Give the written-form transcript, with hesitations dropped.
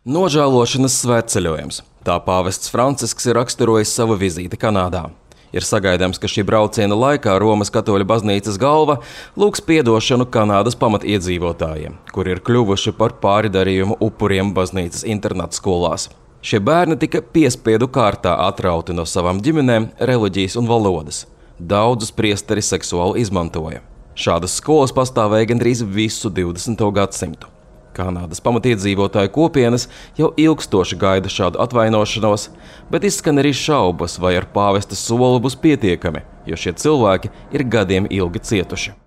Nožēlošanas svētceļojums. Tā pāvests Francisks ir raksturojis savu vizīti Kanādā. Ir sagaidāms, ka šī brauciena laikā Romas katoļu baznīcas galva lūgs piedošanu Kanādas pamatiedzīvotājiem, kuri ir kļuvuši par pāridarījumu upuriem baznīcas internātskolās. Šie bērni tika piespiedu kārtā atrauti no savām ģimenēm, reliģijas un valodas. Daudzus priesteri seksuāli izmantoja. Šādas skolas pastāvēja gandrīz visu 20. gadsimtu. Kanādas pamatiedzīvotāju kopienas jau ilgstoši gaida šādu atvainošanos, bet izskan arī šaubas, vai ar pāvesta soli būs pietiekami, jo šie cilvēki ir gadiem ilgi cietuši.